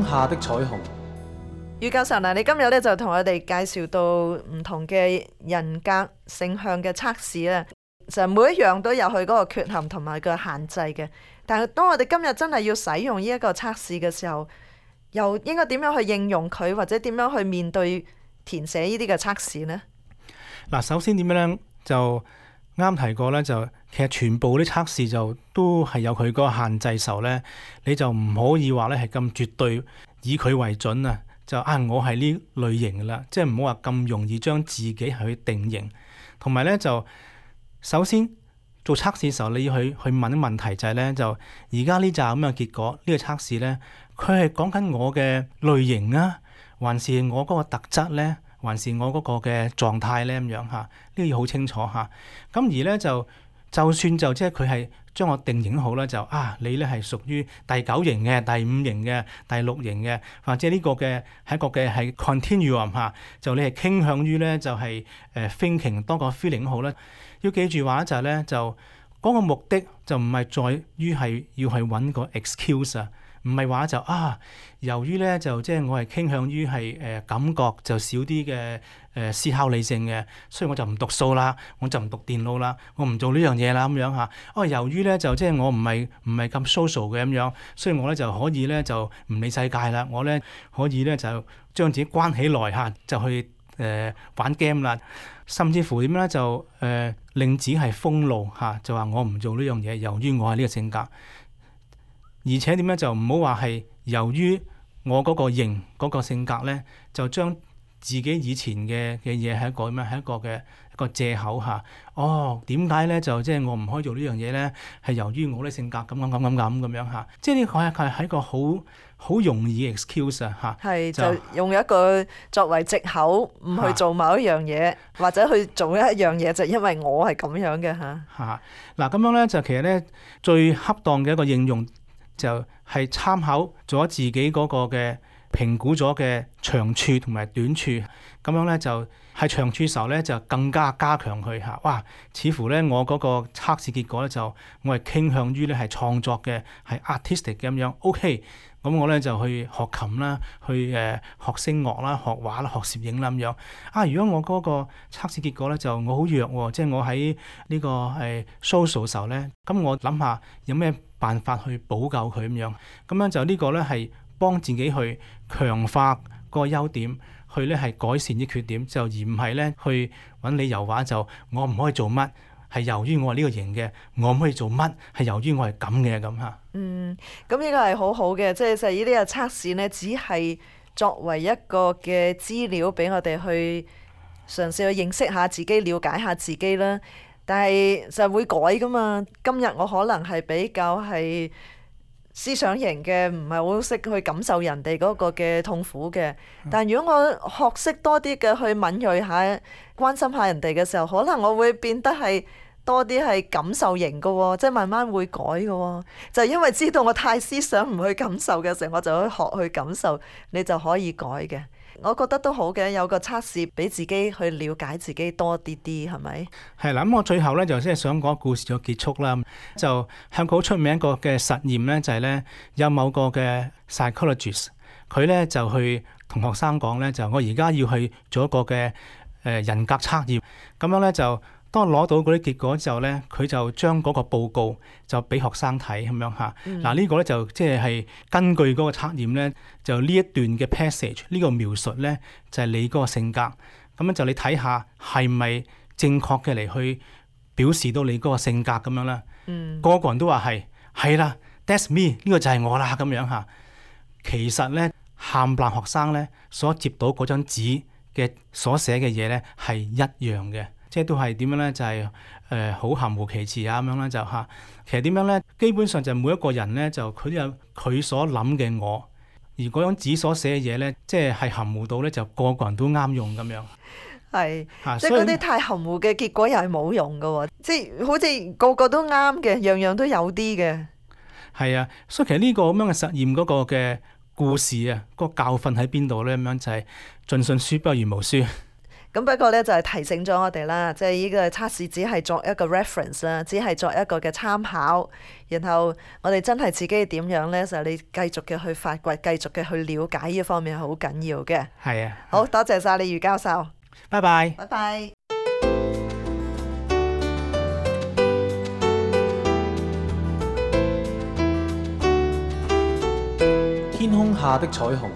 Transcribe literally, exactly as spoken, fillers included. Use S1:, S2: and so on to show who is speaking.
S1: 下的彩虹。
S2: 余教授，嗱，你今日咧就同我哋介紹到唔同嘅人格性向嘅測試啦，就每一樣都有佢嗰個缺陷同埋個限制嘅。但係當我哋今日真係要使用呢一個測試嘅時候，又應該點樣去應用佢，或者點樣去面對填寫呢啲嘅測試呢？
S3: 嗱，首先點樣咧，就啱提過咧，就其實全部啲測試就都係有佢嗰個限制時候咧，你就唔可以話咧係咁絕對以佢為準啊！就啊，我係呢類型㗎啦，即係唔好話咁容易將自己係去定型。同埋咧，就首先做測試嘅時候，你要去去問啲問題就係咧，就而家呢扎咁嘅結果，呢個測試咧，佢係講緊我嘅類型啊，還是我嗰個特質咧，還是我嗰個嘅狀態咧咁樣嚇？呢個要好清楚嚇。咁而咧就就算就即係佢係將我定型好啦，就啊你咧係屬於第九型嘅、第五型嘅、第六型嘅，或者呢個嘅係一個嘅係 continuum 嚇，就你係傾向於咧就係誒 thinking 多過 feeling 好啦。要記住話就係咧，就嗰個目的就唔係在於係要去揾個 excuse 啊。唔係話就啊，由於咧就即係我係傾向於係誒感覺就少啲嘅誒思考理性嘅，所以我就唔讀數啦，我就唔讀電腦啦，我唔做呢樣嘢啦咁樣嚇。哦，由於咧就即係我唔係唔係咁 social 嘅咁樣，所以我咧就可以咧就唔理世界啦，我咧可以咧就將自己關起來嚇，就去誒、呃、玩 game 啦，甚至乎點咧就誒、呃、令自己係封路嚇，就話我唔做呢樣嘢，由於我係呢個性格。而且點樣就唔好話係由於我嗰個型嗰、嗰個性格咧，就將自己以前嘅嘅嘢係一個咩？係一個嘅一個藉口嚇。哦，點解咧就即係我唔可以做呢樣嘢咧？係由於我啲性格咁咁咁咁咁咁樣嚇。即係呢個係係係一個好好容易嘅 excuse 啊嚇。
S2: 係就，就用一個作為藉口，唔去做某一樣嘢，啊、或者去做一樣嘢，就因為我係咁樣嘅嚇。
S3: 嚇嗱咁樣咧，就其實咧最恰當嘅一個應用。就係參考咗自己嗰個嘅評估咗嘅長處同埋短處，咁樣咧就係長處時候咧就更加加強佢嚇。哇！似乎咧我嗰個測試結果咧就我係傾向於咧係創作嘅，係 artistic 嘅咁樣。OK，咁我咧就去學琴啦，去誒、呃、學聲樂啦，學畫啦，學攝影啦咁樣。啊！如果我嗰個測試結果咧就我好弱喎，即係我喺呢個誒 social 時候咧，咁我諗下有咩辦法去補救佢咁樣，咁樣就呢個咧係幫自己去強化個優點，去咧係改善啲缺點，就而唔係咧去揾理由話就我唔可以做乜，係由於我係呢個型嘅，我唔可以做乜，係由於我係咁嘅咁嚇。
S2: 嗯，咁呢個係好好嘅，即係就係呢啲嘅測試呢，只係作為一個嘅資料俾我哋去嘗試去認識下自己、了解下自己啦。但係就會改噶嘛。今日我可能係比較係思想型嘅，唔係好識去感受人哋嗰個嘅痛苦嘅。但如果我學識多啲嘅去敏鋭下、關心下人哋嘅時候，可能我會變得係多啲係感受型嘅喎，即係慢慢會改嘅喎。就係因為知道我太思想唔去感受嘅時候，我就可以學去感受，你就可以改嘅。我覺得都好嘅，有個測試俾自己去了解自己多啲啲，係咪？
S3: 係啦，咁我最後咧就即係想講故事就結束啦。就香港好出名一個嘅實驗咧，就係咧有某個嘅 psychologist，佢咧就去同學生講咧，就我而家要去做一個嘅誒人格測驗，咁樣咧就。當攞到嗰啲結果之後咧，佢就將嗰個報告就俾學生睇咁樣嚇。嗱、嗯、呢個咧就即係係根據嗰個測驗咧，就呢一段嘅 passage 呢個描述咧就係、是、你嗰個性格。咁樣就你睇下係咪正確嘅嚟去表示到你嗰個性格咁樣啦。嗯、個個人都話係係啦 ，that's me 呢個就係我啦咁樣嚇。其實咧，冚唪唥學生咧所接到嗰張紙嘅所寫嘅嘢咧係一樣嘅。即係都係點樣咧？就係誒好含糊其辭啊咁樣咧就嚇。其實點樣咧？基本上就每一個人咧就佢都有佢所諗嘅我，而嗰張紙所寫嘅嘢咧，即係係含糊到咧就個個人都啱用咁樣。
S2: 係，啊、即係嗰啲太含糊嘅結果又係冇用㗎喎。即係好似個個都啱嘅，樣樣都有啲嘅。
S3: 係啊，所以其實呢個咁樣嘅實驗嗰個嘅故事啊，嗰、嗰個教訓喺邊度咧？咁樣就係盡信書不如無書。
S2: 咁不過咧就係提醒咗我哋啦，即係呢個測試只係作一個 reference 啦，只係作一個嘅參考。然後我哋真係自己點樣咧，就係你繼續嘅去發掘，繼續嘅去了解呢方面係好緊要嘅。
S3: 係啊，
S2: 好多謝晒你余教授，
S3: 拜拜。
S2: 拜拜。
S1: 天空下的彩虹。